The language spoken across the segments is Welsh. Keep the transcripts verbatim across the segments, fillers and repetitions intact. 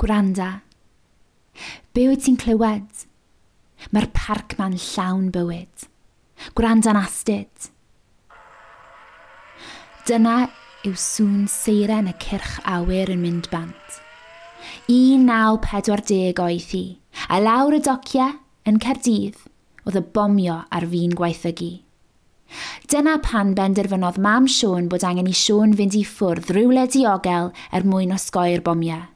Gwranda. Be wyt ti'n clywed? Mae'r parc ma'n llawn bywyd. Gwranda'n astud. Dyna yw sŵn seiren y cyrch awyr yn mynd bant. un naw pedwar deg oedd hi, a lawr y dociau yn Caerdydd oedd y bomio ar fin gwaethygu. Dyna pan benderfynodd mam Siôn bod angen i Siôn fynd i ffwrdd rywle diogel er mwyn osgoi'r bomiau.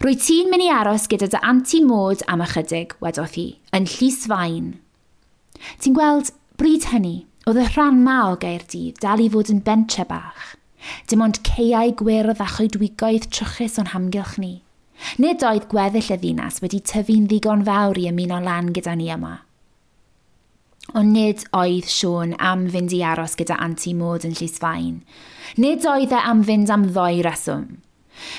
Rwy ti'n mynd i aros gyda dy Anti Maud am ychydig, wedodd hi, yn Llys-faen. Ti'n gweld, bryd hynny, oedd y rhan ma o Gaerdydd dal i fod yn bentre bach. Dim ond caeau gwyrdd a choedwigoedd trwchus o'n hamgylch ni. Nid oedd gweddill y ddinas wedi tyfu'n ddigon fawr i ymuno lan gyda ni yma. Ond nid oedd Siôn am fynd i aros gyda Anti Maud yn Llys-faen. Nid oedd e am fynd am ddoi reswm.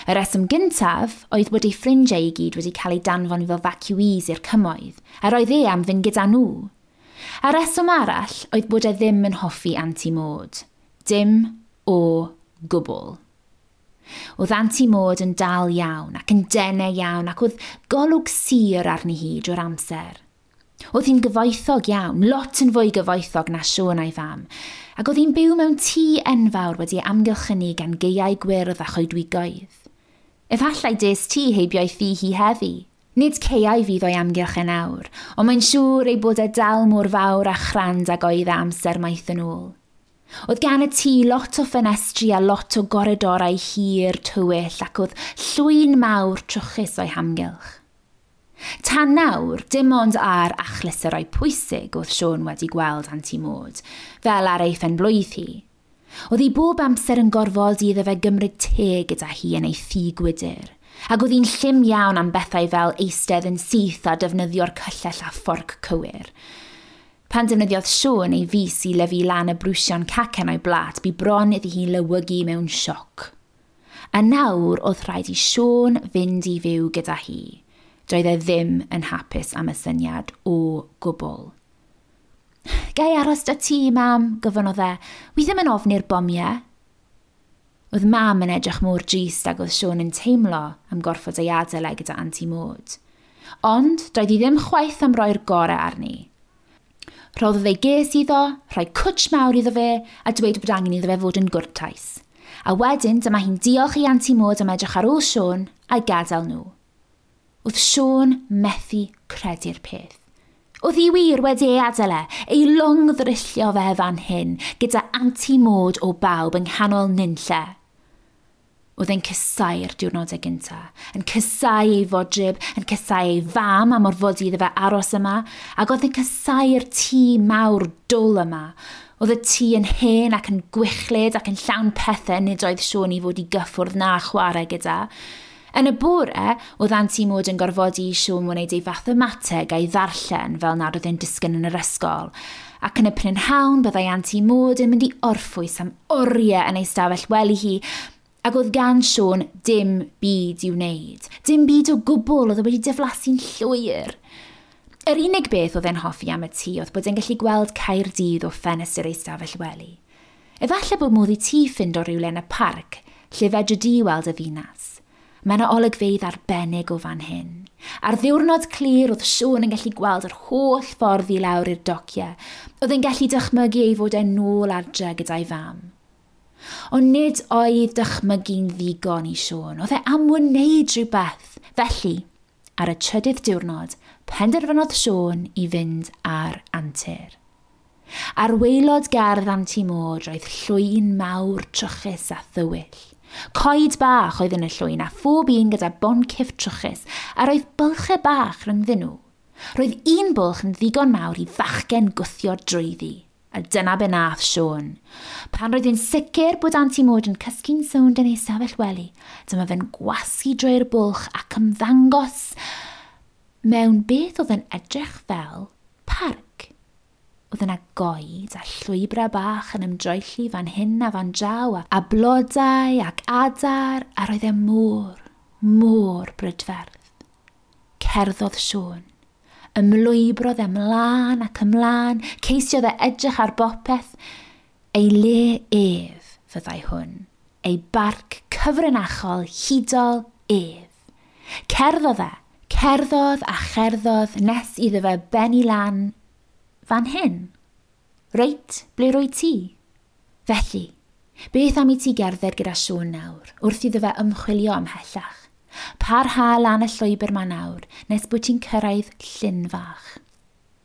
Y reswm gyntaf oedd bod ei ffrindiau i gyd wedi cael eu danfon fel evacuees i'r cymoedd, a roedd e am fynd gyda nhw. A reswm arall oedd bod e ddim yn hoffi Anti Maud. Dim o gwbl. Oedd Anti Maud yn dal iawn ac yn denau iawn ac oedd golwg sur arni hi drwy'r amser. Oedd hi'n gyfoethog iawn, lot yn fwy gyfoethog na Siôn a'i fam, ac oedd hi'n byw mewn tŷ enfawr wedi amgylchynu gan gaeau gwyrdd a choedwigoedd. Efallai des ti heibio'i thŷ hi heddi. Nid caeau fydd o'i amgylch yn awr, ond mae'n siŵr ei bod e dal mor fawr a chrand ag oedd e amser maith yn ôl. Oedd gan y tŷ lot o ffenestri a lot o goridorau hir tywyll ac oedd llwyn mawr trwchus o'i hamgylch. Tan nawr, dim ond ar achlysurau pwysig oedd Siôn wedi gweld Anti Maud, fel ar ei phenblwydd hi. Oedd hi bob amser yn gorfodi iddo fe gymryd te gyda hi yn ei thŷ gwydr, ac oedd hi'n llym iawn am bethau fel eistedd yn syth a defnyddio'r cyllell a fforc cywir. Pan defnyddiodd Siôn ei fys i lyfu lan y brwsion cacen o'i blat, bu bron iddi hi lewygu mewn sioc. A nawr oedd rhaid i Siôn fynd i fyw gyda hi. Doedd e ddim yn hapus am y syniad o gwbl. Ga i aros 'da ti, mam, gofynnodd e. Wi ddim yn ofni'r bomiau. Oedd mam yn edrych mor drist ag oedd Siôn yn teimlo am gorfod ei adael e gyda Anti Maud. Ond doedd hi ddim chwaith am roi'r gorau arni. Rhoddodd ei ges iddo, rhoi cwtsh mawr iddo fe a dweud bod angen iddo fe fod yn gwrtais. A wedyn dyma hi'n diolch i Anti Maud am edrych ar ôl Siôn a'i gadael nhw. Oedd Siôn methu credu'r peth. Oedd hi wir wedi ei adael e, ei longddryllio fe fan hyn, gyda Anti Maud o bawb yng nghanol nunlle. Oedd e'n casáu'r diwrnodau gynta, yn casáu ei fodryb, yn casáu ei fam am orfodi iddo fe aros yma, ac oedd e'n casáu'r tŷ mawr dwl yma. Oedd y tŷ yn hen ac yn gwichlyd ac yn llawn pethau nid oedd Siôn i fod i gyffwrdd na chwarae gyda. Yn y bore, oedd Anti Maud yn gorfodi i Siôn wneud ei fathemateg a'i ddarllen fel nad oedd e'n disgyn yn yr ysgol. Ac yn y prynhawn byddai Anti Maud yn mynd i orffwys am oriau yn ei stafell wely hi, ac oedd gan Siôn dim byd i'w wneud. Dim byd o gwbl, oedd e wedi diflasu'n llwyr. Yr unig beth oedd e'n hoffi am y tŷ oedd bod e'n gallu gweld Caerdydd o ffenestr ei stafell wely. Efallai bod modd i ti ffindo rhywle yn y parc lle fedri di weld y ddinas. Mae yna olygfeydd arbennig o fan hyn. Ar ddiwrnod clir oedd Siôn yn gallu gweld yr holl ffordd i lawr i'r dociau. Oedd e'n gallu dychmygu ei fod e'n nôl adre gyda'i fam. Ond nid oedd dychmygu'n ddigon i Siôn. Oedd e am wneud rhywbeth. Felly, ar y trydydd diwrnod, penderfynodd Siôn i fynd ar antur. Ar waelod gardd Anti Maud roedd llwyn mawr trwchus a thywyll. Coed bach oedd yn y llwyn a phob un gyda boncyff trwchus a roedd bylchau bach rhyngddyn nhw. Roedd un bwlch yn ddigon mawr i fachgen gwthio drwyddi. A dyna be nath Siôn. Pan roedd hi'n sicr bod Anti Maud yn cysgu'n sownd yn ei stafell wely, dyma fe'n gwasgu drwy'r bwlch ac ymddangos mewn beth oedd yn edrych fel parc. Oedd yna goed a llwybrau bach yn ymdroelli fan hyn a fan draw, a blodau ac adar, a roedd e mor, mor brydferth. Cerddodd Siôn. Ymlwybrodd e ymlaen ac ymlaen, ceisiodd e edrych ar bopeth. Ei le ef fyddai hwn, ei barc cyfrinachol hudol ef. Cerddodd e, cerddodd a cherddodd nes iddo fe benni lan fan hyn. Reit, ble rwy ti? Felly, beth am i ti gerdded gyda Siôn nawr, wrth iddo fe ymchwilio ymhellach? Parha lan y llwybr ma nawr, nes bod ti'n cyrraedd llyn fach.